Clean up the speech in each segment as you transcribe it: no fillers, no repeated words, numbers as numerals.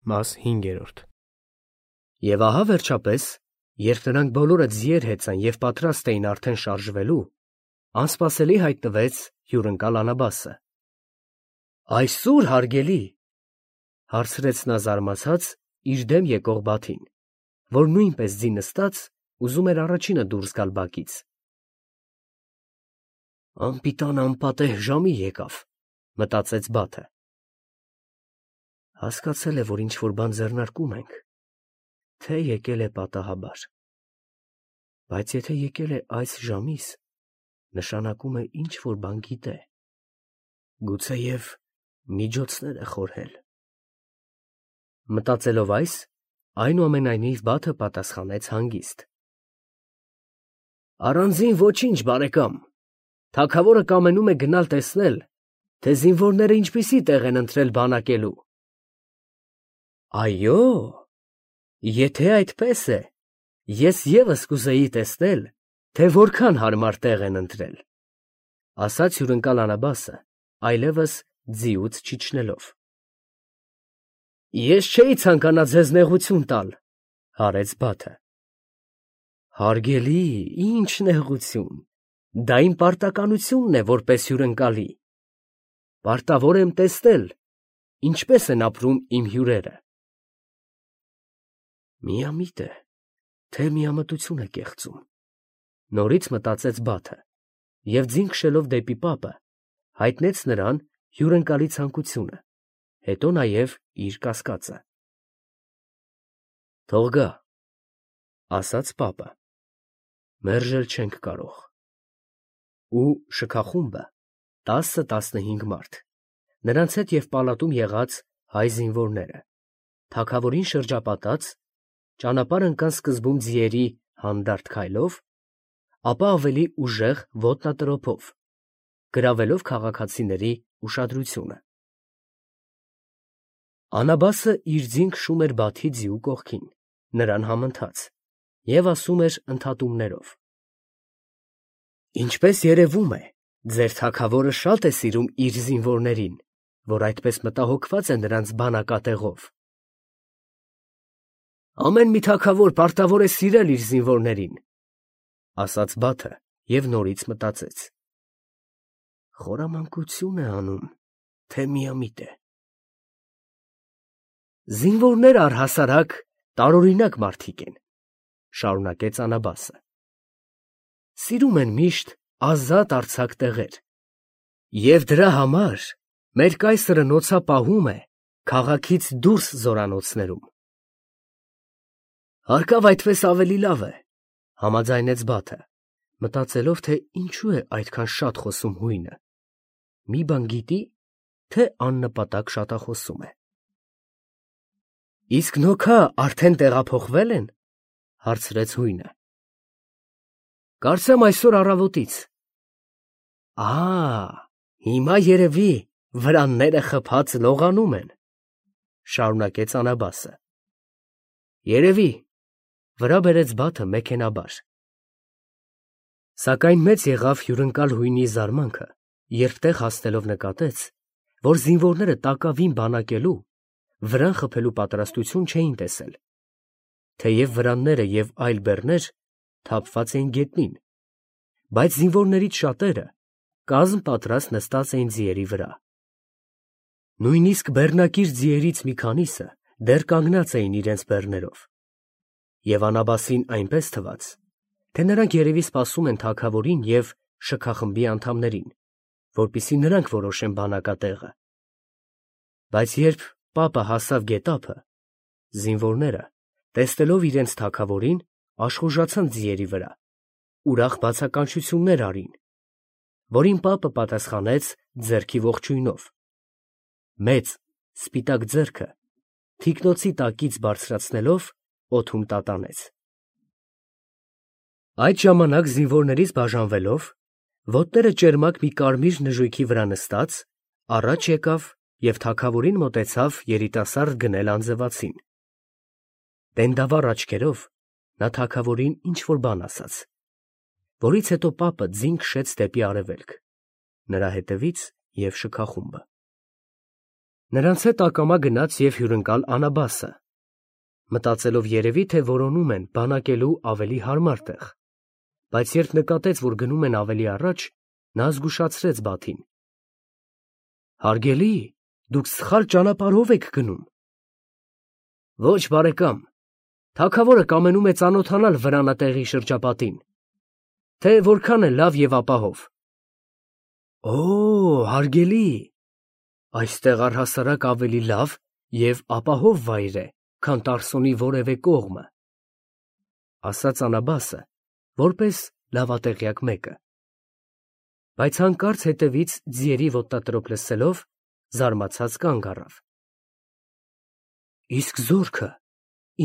Մաս 5։ Եվ ահա վերջապես, երբ նրանք բոլորը ձիեր հեծան և պատրաստ էին արդեն շարժվելու, անսպասելի հայտնվեց հյուրընկալ Անաբասը։ ֊ Այսո՞ւր, հարգելի, ֊ հարցրեց նա զարմացած իր դեմ եկող Բաթին, որ նույնպես ձի նստած ուզում էր առաջինը դուրս գալ բակից։ ֊ Անպիտան անպատեհ ժամի եկավ, ֊ մտածեց Բաթը։ Հասկացել է, որ ինչ֊որ բան ձեռնարկում ենք, թե եկել է պատահաբար։ Բայց եթե եկել է այս ժամիս, նշանակում է ինչ֊որ բան գիտե, գուցեև միջոցներ է խորհել։ Մտածելով այս, այնուամենայնիվ Բաթը պատասխանեց հանգիստ. Առանձին ոչինչ, բարեկամ, թագավորը կամենում է գնալ տեսնել, թե զինվորները ինչպիսի տեղ են ընտրել բանակելու։ Այո, եթե այդպես է, ես ևս կուզեի տեսնել, թե որքան հարմար տեղ են ընտրել, ֊ ասաց հյուրընկալ Անաբասը, այլևս ձիուց չիջնելով։ Ես չէի ցանկանա ձեզ նեղություն տալ, ֊ հարեց Բաթը։ Հարգելի, ինչ նեղություն, դա իմ պարտականությունն է որպես հյուրընկալի։ Պարտավոր եմ տեսնել, ինչպես են ապրում իմ հյուրերը։ Միամիտ է, թե միամտություն է կեղծում, ֊ նորից մտածեց Բաթը և ձին քշելով դեպի պապը, հայտնեց նրան հյուրընկալի ցանկությունը, հետո նաև իր կասկածը։ Թող գա, ֊ ասաց պապը, ֊ մերժել չենք կարող։ Ու շքախումբը 10-15 մարդ, նրանց հետ և պալատում եղած հայ զինվորները, թագավորին շրջապատած, ճանապարհ ընկան սկզբում ձիերի հանդարտ քայլով, ապա ավելի ուժեղ ոտնատրոփով, գրավելով քաղաքացիների ուշադրությունը։ Անաբասը իր ձին քշում էր Բաթի ձիու կողքին, նրան համընթաց, և ասում էր ընդհատումներով. Ինչպես երևում է, ձեր թագավորը շատ է սիրում իր զինվորներին, որ այդպես մտահոգված է նրանց բանակատեղով։ Ամեն մի թագավոր պարտավոր է սիրել իր զինվորներին, ֊ ասաց Բաթը և նորից մտածեց. Խորամանկություն է անում, թե միամիտ է։ Զինվորները առհասարակ տարօրինակ մարդիկ են, ֊ շարունակեց Անաբասը։ Սիրում են միշտ ազատ արձակ տեղեր, և դրա համար մեր կայսրը նոցապահում է քաղաքից դուրս զորանոցներում։ Հարկավ այդպես ավելի լավ է, ֊ համաձայնեց Բաթը, մտածելով, թե ինչու է այդքան շատ խոսում հույնը, մի բան գիտի, թե աննպատակ շատախոսում է։ Իսկ նոքա արդեն տեղափոխվե՞լ են, ֊ հարցրեց հույնը։ Կարծեմ այսօր առավոտից։ Հիմա երևի վրանները խփած լողանում են, ֊ շարունակեց Անաբասը։ Երևի, ֊ վրա բերեց Բաթը մեքենաբար։ Սակայն մեծ եղավ հյուրընկալ հույնի զարմանքը, երբ տեղ հասնելով նկատեց, որ զինվորները տակավին բանակելու, վրան խփելու պատրաստություն չէին տեսել, թեև վրանները և այլ բեռներ թափված էին գետնին, բայց զինվորներից շատերը կազմ պատրաստ նստած էին ձիերի վրա։ Նույնիսկ բեռնակիր ձիերից մի քանիսը դեռ կանգնած էին իրենց բեռներով, և Անաբասին այնպես թվաց, թե նրանք երևի սպասում են թագավորին և շքախմբի անդամներին, որպեսզի նրանք որոշեն բանակատեղը։ Բայց երբ պապը հասավ գետափը, զինվորները, տեսնելով իրենց թագավորին, աշխուժացան ձիերի վրա, ուրախ բացականչություններ արին, որին պապը պատասխանեց ձեռքի ողջույնով, մեծ սպիտակ ձեռքը թիկնոցի տակից բարձրացնելով օդում տատանեց։ Այդ ժամանակ զինվորներից բաժանվելով, ոտները ճերմակ մի կարմիր նժույգի վրա նստած, առաջ եկավ և թագավորին մոտեցավ երիտասարդ գնել անձրևացին։ Տենդավառ աչքերով նա թագավորին ինչ֊որ բան ասաց, որից հետո պապը ձին քշեց դեպի արևելք, նրա հետևից և շքախումբը։ Նրանց հետ ակամա գնաց և հյուրընկալ Անաբասը, մտածելով երևի, թե որոնում են բանակելու ավելի հարմար տեղ, բայց երբ նկատեց, որ գնում են ավելի առաջ, նա զգուշացրեց Բաթին. «Հարգելի, դուք սխալ ճանապարհով եք գնում»։ «Ոչ, բարեկամ, թագավորը կամենում է ծանոթանալ վրանատեղի շրջապատին, թե որքան է լավ և ապահով»։ «Օ, հարգելի, այստեղ առհասարակ ավելի լավ և ապահով վայր է, քան Տարսոնի որևէ կողմը», ասաց Անաբասը, որպես լավատեղյակ մեկը։ Բայց հանկարծ հետևից ձիերի ոտնատրոփ լսելով, զարմացած կանգ առավ։ «Իսկ զորքը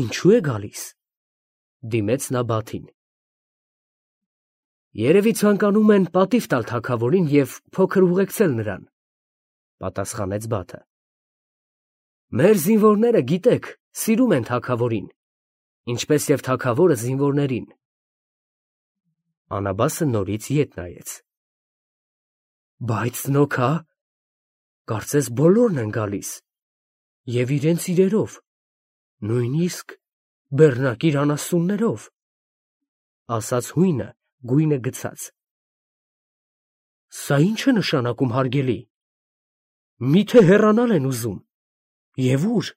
ինչո՞ւ է գալիս», դիմեց նա Բաթին։ «Երևի ցանկանում են պատիվ տալ թագավորին և փոքր ուղեկցել նրան», պատասխանեց Բաթը։ «Մեր զինվորները, գիտեք, սիրում են թագավորին, ինչպես և թագավորը զինվորներին»։ Անաբասը նորից ետ նայեց։ «Բայց նոք հա, կարծես բոլորն են գալիս, և իրենց իրերով, նույնիսկ բեռնակիր անասուններով», ասաց հույնը գույնը գցած։ «Սա ի՞նչ է նշանակում, հարգելի, միթե հեռանալ են ուզում, և ո՞ւր»։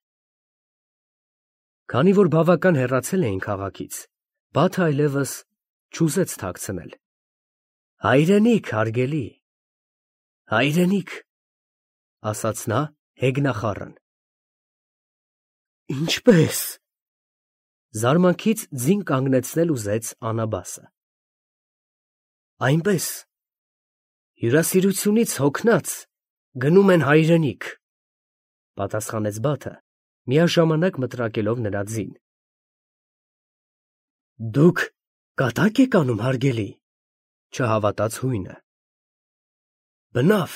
Քանի որ բավական հեռացել էին քաղաքից, Բաթը այլևս չուզեց թաքցնել։ «Հայրենիք, հարգելի, հայրենիք», ասաց նա հեգնախառն։ «Ինչպե՞ս»։ Զարմանքից ձին կանգնեցնել ուզեց Անաբասը։ «Այնպես, հյուրասիրությունից հոգնած գնում են հայրենիք», պատասխանեց Բաթը, միաժամանակ մտրակելով նրա ձին։ «Դուք կատա՞կ եք անում, հարգելի», չհավատաց հույնը։ «Բնավ»։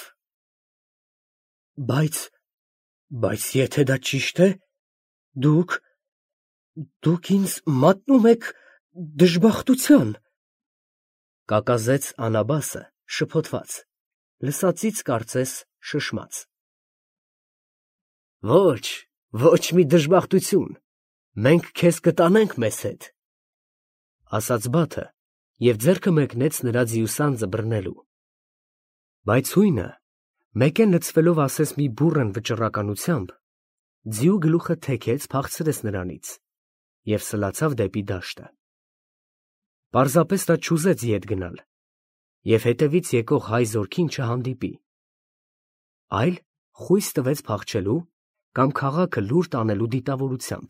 Բայց եթե դա ճիշտ է, դուք ինձ մատնում եք դժբախտության», կակազեց Անաբասը շփոթված, լսածից կարծես շշմած։ «Ոչ մի դժբախտություն, մենք քեզ կտանենք մեզ հետ», ասաց Բաթը և ձեռքը մեկնեց նրա ձիուսանձը բռնելու։ Բայց հույնը, մեկեն լցվելով ասես մի բուռն վճռականությամբ, ձիու գլուխը թեքեց փախցրեց նրանից և սլացավ դեպի դաշտը։ Պարզապես նա չուզեց ետ գնալ և հետևից եկող հայ զորքին չհանդիպի, այլ խույս տվեց փախչելու կամ քաղաքը լուր տանելու դիտավորությամբ։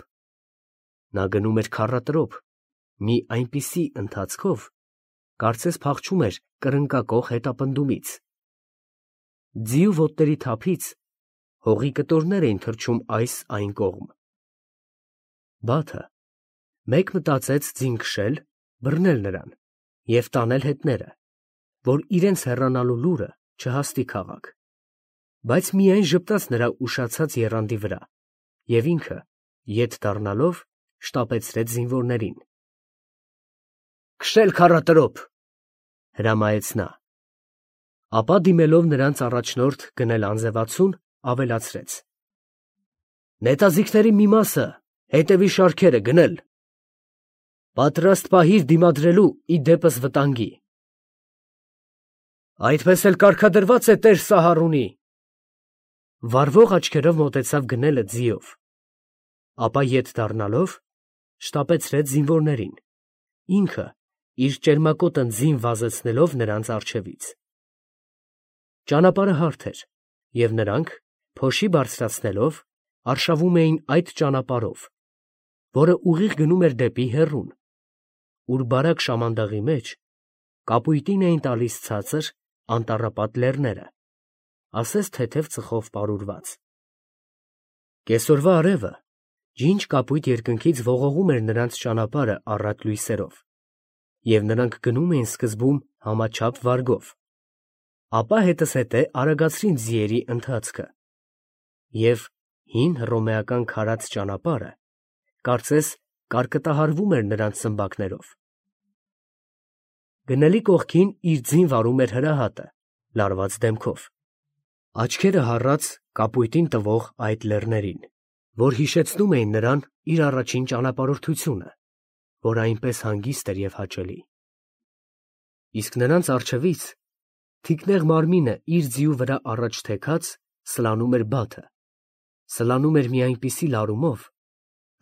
Նա գնում էր քառատրոփ մի այնպիսի ընթացքով, կարծես փախչում էր կրնկակոխ հետապնդումից։ Ձիու ոտների թափից հողի կտորներ էին թռչում այս֊այն կողմ։ Բաթը մեկ մտածեց ձին քշել, բռնել նրան և տանել հետները, որ իրենց հեռանալու լուրը չհասնի քաղաք, բայց միայն ժպտաց նրա ուշացած եռանդի վրա և ինքը, ետ դառնալով, շտապեցրեց զինվորներին։ «Քշել քառատրոփ», հրամայեց նա։ Ապա դիմելով նրանց առաջնորդ գնել անձևացուն, ավելացրեց. «Նետաձիգների մի մասը հետևի շարքերը գնել։ Պատրաստ պահիր դիմադրելու ի դեպս վտանգի»։ «Այդպես էլ կարգադրված է տեր Սահարունի», վառվող աչքերով մոտեցավ գնելը ձիով, ապա ետ դառնալով, շտապեցրեց զինվորներին, ինքը իր ճերմակոտ ընձին վազեցնելով նրանց առջևից։ Ճանապարհը հարթ էր, և նրանք, փոշի բարձրացնելով, արշավում էին այդ ճանապարհով, որը ուղիղ գնում էր դեպի հեռուն, ուր բարակ շամանդաղի մեջ կապույտին էին տալիս ցածր, անտառապատ լեռները, ասես թեթև ծխով պարուրված։ Կեսօրվա արևը ջինջ կապույտ երկնքից ողողում էր նրանց ճանապարհը առատ լույսերով, և նրանք գնում էին սկզբում համաչափ վարգով, ապա հետզհետե արագացրին ձիերի ընթացքը, և հին հռոմեական քարած ճանապարհը կարծես կարկտահարվում էր նրանց սմբակներով։ Գնելի կողքին իր ձին վարում էր հրահատը, լարված դեմքով։ Աչքերը հառած կապույտին տվող այդ լեռներին, որ հիշեցնում էին նրան իր առաջին ճանապարհորդությունը, որ այնպես հանգիստ էր և հաճելի։ Իսկ նրանց առջևից թիկնեղ մարմինը իր ձիու վրա առաջ թեքած սլանում էր բաթը, սլանում էր մի այնպիսի լարումով,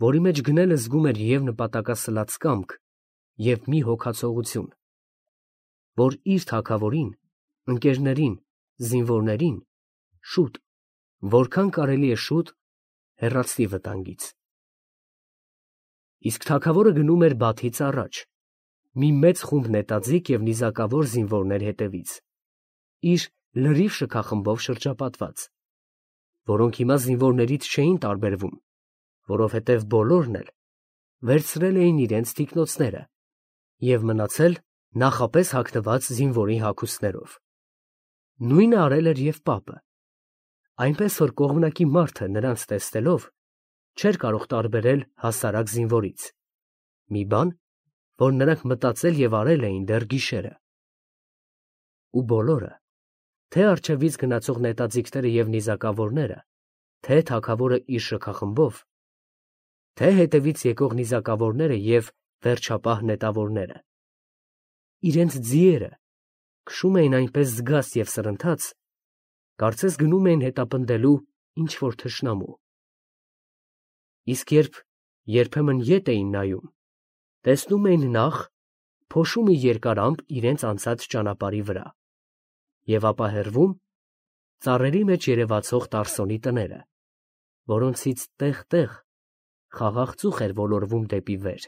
որի մեջ գնելը զգում էր և նպատակասլաց կամք, և մի հոգացողություն, որ իր թագավորին, ընկերներին, զինվորներին շուտ, որքան կարելի է շուտ, հեռացնի վտանգից։ Իսկ թագավորը գնում էր բաթից առաջ, մի մեծ խումբ նետաձիգ և նիզակավոր զինվորներ հետևից, իր լրիվ շքախմբով շրջապատված, որոնք հիմա զինվորներից չէին տարբերվում, որովհետև բոլորն էլ վերցրել էին իրենց թիկնոցները և մնացել նախապես հագնված զինվորի հագուստներով։ Նույնը արել էր և պապը, այնպես որ կողմնակի մարդը նրանց տեսնելով չէր կարող տարբերել հասարակ զինվորից, մի բան, որ նրանք մտածել և արել էին դեռ գիշերը։ Ու բոլորը, թե առջևից գնացող նետաձիգները և նիզակավորները, թե թագավորը իր շքախմբով, թե հետևից եկող նիզակավորները և վերջապահ նետավորները, իրենց ձիերը քշում էին այնպես զգաստ և սրընթաց, կարծես գնում էին հետապնդելու ինչ-որ թշնամու։ Իսկ երբ երբեմն ետ էին նայում, տեսնում էին նախ փոշու մի երկար ամպ իրենց անցած ճանապարհի վրա, և ապա հեռվում ծառերի մեջ երևացող Տարսոնի տները, որոնցից տեղ֊տեղ խաղաղ ծուխ էր ոլորվում դեպի վեր։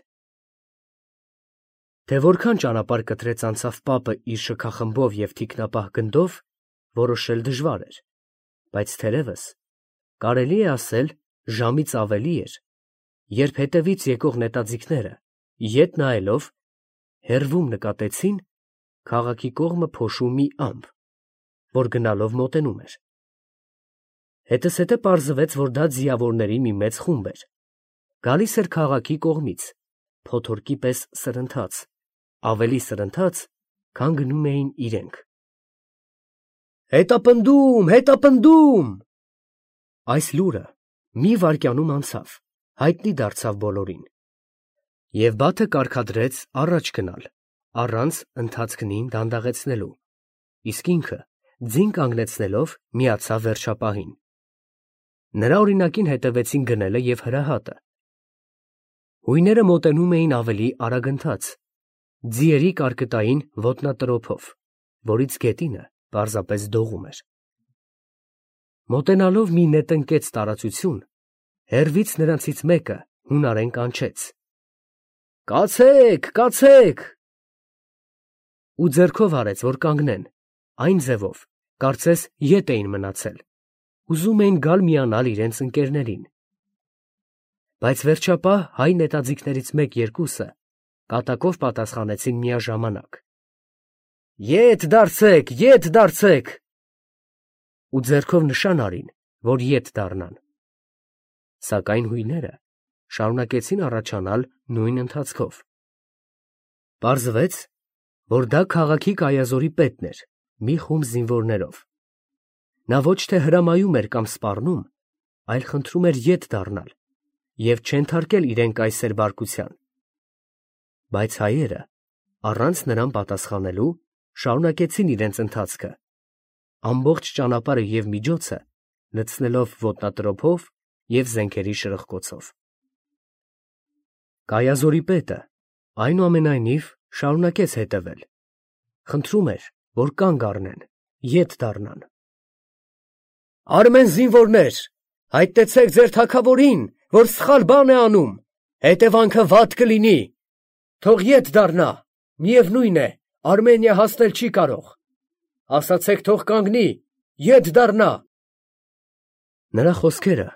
Թե որքան ճանապարհ կտրեց անցավ պապը իր շքախմբով և թիկնապահ գնդով, որոշել դժվար էր, բայց թերևս կարելի է ասել ժամից ավելի էր, երբ հետևից եկող նետաձիգները, ետ նայելով, հեռվում նկատեցին քաղաքի կողմը փոշու մի ամպ, որ գնալով մոտենում էր։ Հետզհետե պարզվեց, որ դա ձիավորների մի մեծ խումբ էր, գալիս էր քաղաքի կողմից, փոթորկի պես սրընթաց, ավելի սրընթաց, քան գնում էին իրենք։ «Հետապնդում, հետապնդում»։ Այս լուրը մի վայրկյանում անցավ, հայտնի դարձավ բոլորին, և բաթը կարգադրեց առաջ գնալ, առանց ընթացքնին դանդաղեցնելու, իսկ ինքը ձին կանգնեցնելով միացավ վերջապահին։ Նրա օրինակին հետևեցին գնելը և հրահատը։ Հույները մոտենում էին ավելի արագընթաց, ձիերի կարկտային ոտնատրոփով, որից գետինը պարզապես դողում էր։ Մոտենալով մի նետնկեց տարածություն, հեռվից նրանցից մեկը հունարեն կանչեց. «Կացեք, կացեք»։ Ու ձեռքով արեց, որ կանգնեն, այն ձևով, կարծես ետ էին մնացել, ուզում էին գալ միանալ իրենց ընկերներին։ Բայց վերջապահ հայ նետաձիգներից մեկ֊երկուսը կատակով պատասխանեցին միաժամանակ. «Ետ դարձեք, ետ դարձեք»։ Ու ձեռքով նշան արին, որ ետ դառնան։ Սակայն հույները շարունակեցին առաջանալ նույն ընթացքով։ Պարզվեց, որ դա քաղաքի կայազորի պետն էր, մի խումբ զինվորներով։ Նա ոչ թե հրամայում էր կամ սպառնում, այլ խնդրում էր ետ դառնալ և չենթարկել իրեն կայսեր բարկության։ Բայց հայերը, առանց նրան պատասխանելու, շարունակեցին իրենց ընթացքը, ամբողջ ճանապարհը և միջոցը լցնելով ոտնատրոփով և զենքերի շրխկոցով։ Կայազորի պետը, այնուամենայնիվ, շարունակեց հետևել, խնդրում էր, որ կանգ առնեն, ետ դառնան։ «Արմեն զինվորներ, հայտնեցեք ձեր թագավորին, որ սխալ բան է անում, հետևանքը վատ կլինի, թող ետ դառնա, միևնույն է, Արմենիա հասնել չի կարող, ասացեք թող կանգնի, ետ դառնա»։ Նրա խոսքերը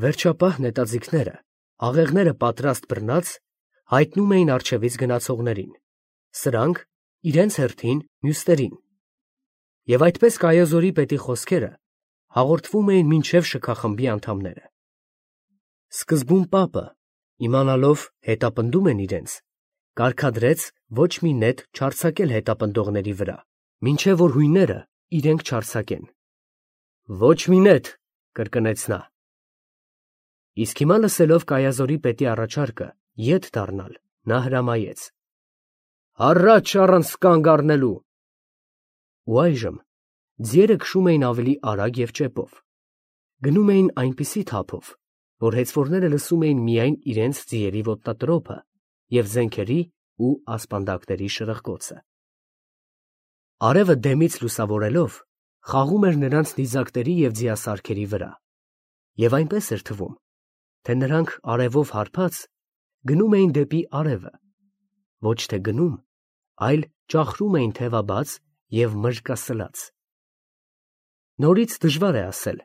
վերջապահ նետաձիգները, աղեղները պատրաստ բռնած, հայտնում էին առջևից գնացողներին, սրանք իրենց հերթին մյուսներին, և այդպես կայազորի պետի խոսքերը հաղորդվում էին մինչև շքախմբի անդամները։ Սկզբում պապը, իմանալով հետապնդում են իրենց, կարգադրեց ոչ մի նետ չարձակել հետապնդողների վրա, մինչև որ հույները իրենք չարձակեն։ Ոչ մի նետ, կրկնեց նա։ Իսկ հիմա լսելով Կայազորի պետի առաջարկը ետ դառնալ, նա հրամայեց. Առաջ առանց կանգ առնելու։ Ու այժմ ձիերը քշում էին ավելի արագ և ճեպով։ Գնում էին այնպիսի թափով, որ հեծվորները լսում էին միայն իրենց ձիերի ոտնատրոփը և զենքերի ու ասպանդակների շրխկոցը։ Արևը դեմից լուսավորելով խաղում էր նրանց նիզակների և ձիասարքերի վրա, և այնպես էր թվում, թե նրանք արևով հարբած գնում էին դեպի արևը, ոչ թե գնում, այլ ճախրում էին թևաբաց և մրրկասլաց։ Նորից դժվար է ասել,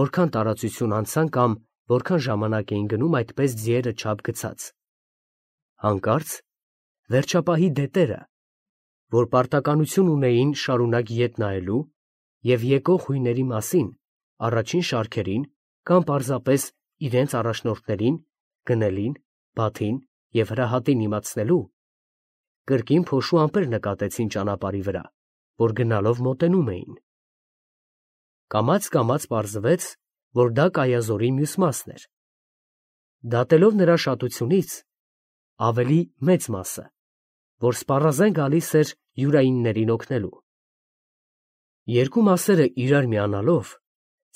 որքան տարածություն անցան կամ որքան ժամանակ էին գնում այդպես ձիերը չափ գցած։ Հանկարծ վերջապահի դետերը, որ պարտականություն ունեին շարունակ ետ նայելու և եկող հույների մասին առաջին շարքերին կամ պարզապես իրենց առաջնորդներին, գնելին, բաթին և հրահատին իմացնելու, կրկին փոշու ամպեր նկատեցին ճանապարհի վրա, որ գնալով մոտենում էին։ Կամաց պարզվեց, որ դա Կայազորի մյուս մասն էր, դատելով նրա շատությունից ավելի մեծ մասը, որ սպառազեն գալիս էր յուրայիններին օգնելու։ Երկու մասերը իրար միանալով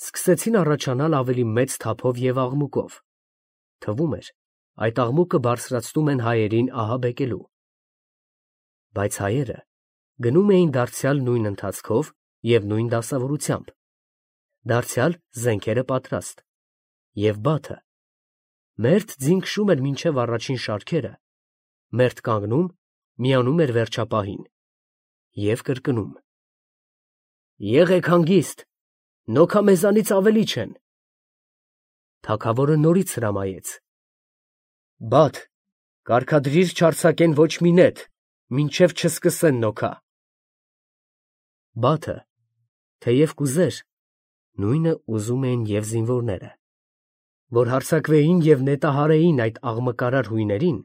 սկսեցին առաջանալ ավելի մեծ թափով և աղմուկով, թվում էր, այդ աղմուկը բարձրացնում են հայերին ահաբեկելու։ Բայց հայերը գնում էին դարձյալ նույն ընթացքով և նույն դասավորությամբ, դարձյալ զենքերը պատրաստ, և բաթը մերթ ձին քշում էր մինչև առաջին շարքերը, մերթ կանգնում, միանում էր վերջապահին և կրկնում. Եղեք հանգիստ, նոքա մեզանից ավելի չեն։ Թագավորը նորից հրամայեց. Բաթ, կարգադրիր չարձակեն ոչ մի նետ, մինչև չսկսեն նոքա։ Բաթը, թեև կուզեր, նույնը ուզում էին և զինվորները, որ հարձակվեին և նետահարեին այդ աղմկարար հույներին,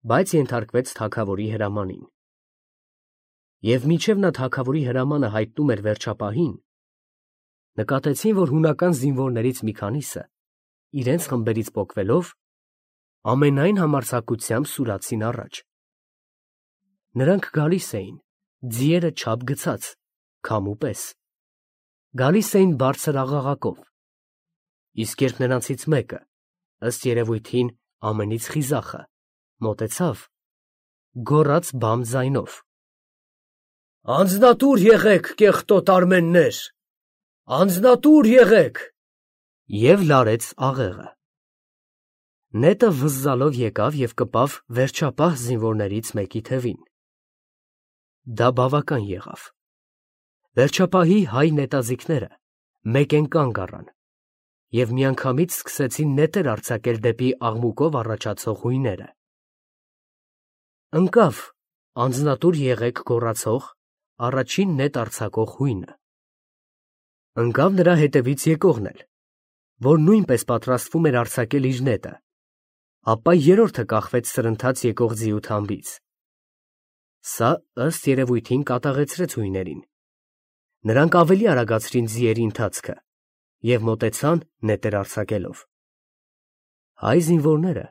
բայց ենթարկվեց թագավորի հրամանին։ Եվ մինչև նա թագավորի հրամանը հայտնում էր վերջապահին, նկատեցին, որ հունական զինվորներից մի քանիսը, իրենց խմբերից պոկվելով, ամենայն համարձակությամբ սուրացին առաջ։ Նրանք գալիս էին, ձիերը չափ գցած, քամու պես, գալիս էին բարձր աղաղակով, իսկ երբ նրանցից մեկը, ըստ երևույթին ամենից խիզախը, մոտեցավ, գոռաց բամ ձայնով. Անձնատուր եղեք, կեղտոտ արմեններ, անձնատուր եղեք, և լարեց աղեղը։ Նետը վզզալով եկավ և կպավ վերջապահ զինվորներից մեկի թևին։ Դա բավական եղավ։ Վերջապահի հայ նետաձիգները մեկեն կանգ առան և միանգամից սկսեցին նետեր արձակել դեպի աղմուկով առաջացող հույները։ Ընկավ անձնատուր եղեք գոռացող առաջին նետ արձակող հույնը։ Ընկավ նրա հետևից եկողն էլ, որ նույնպես պատրաստվում էր արձակել իր նետը, ապա երրորդը կախվեց սրընթաց եկող ձիու թամբից։ Սա ըստ երևույթին կատաղեցրեց հույներին։ Նրանք ավելի արագացրին ձիերի ընթացքը և մոտեցան նետեր արձակելով։ Հայ զինվորները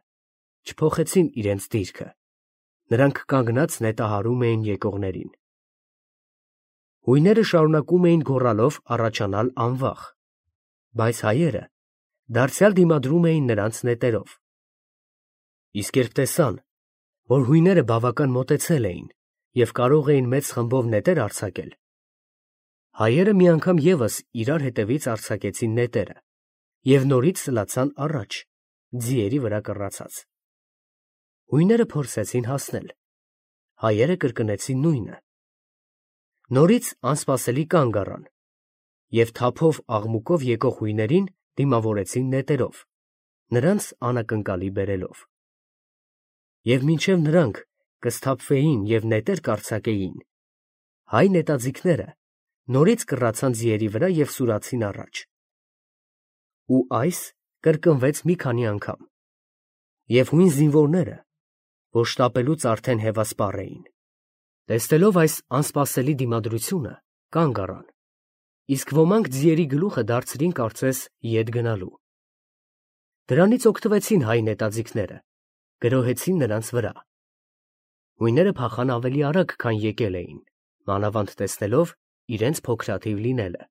չփոխեցին իրենց դիրքը, նրանք կանգնած նետահարում էին եկողներին։ Հույները շարունակում էին գոռալով առաջանալ անվախ, բայց հայերը դարձյալ դիմադրում էին նրանց նետերով։ Իսկ երբ տեսան, որ հույները բավական մոտեցել էին և կարող էին մեծ խմբով նետեր արձակել, հայերը մի անգամ ևս իրար հետևից արձակեցին նետերը և նորից սլացան առաջ, ձիերի վրա կռացած։ Հույները փորձեցին հասնել, հայերը կրկնեցին նույնը։ Նորից անսպասելի կանգ առան և թափով աղմուկով եկող հույներին դիմավորեցին նետերով, նրանց անակնկալի բերելով։ Եվ մինչև նրանք կսթափվեին և նետեր կարձակեին, հայ նետաձիգները նորից կռացան ձիերի վրա և սուրացին առաջ։ Ու այս կրկնվեց մի քանի անգամ, և հույն զինվորները, որ շտապելուց արդեն հևասպառ էին, տեսնելով այս անսպասելի դիմադրությունը, կանգ առան իսկ ոմանք ձիերի գլուխը դարձրին կարծես ետ գնալու։ Դրանից օգտվեցին հայ նետաձիգները, գրոհեցին նրանց վրա։ Հույները փախան ավելի արագ, քան եկել էին, մանավանդ տեսնելով իրենց փոքրաթիվ լինելը։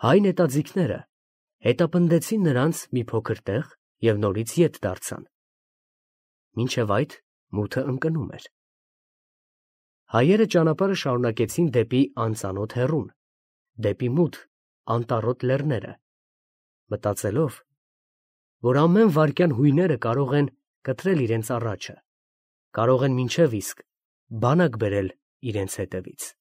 Հայ նետաձիգները հետապնդեցին նրանց մի փոքր տեղ և նորից ետ դարձան։ Մինչև այդ մութը ընկնում էր։ Հայերը ճանապարհը շարունակեցին դեպի անծանոթ հեռուն, դեպի մութ, անտառոտ լեռները, մտածելով, որ ամեն վայրկյան հույները կարող են կտրել իրենց առաջը, կարող են մինչև իսկ բանակ բերել իրենց հետևից։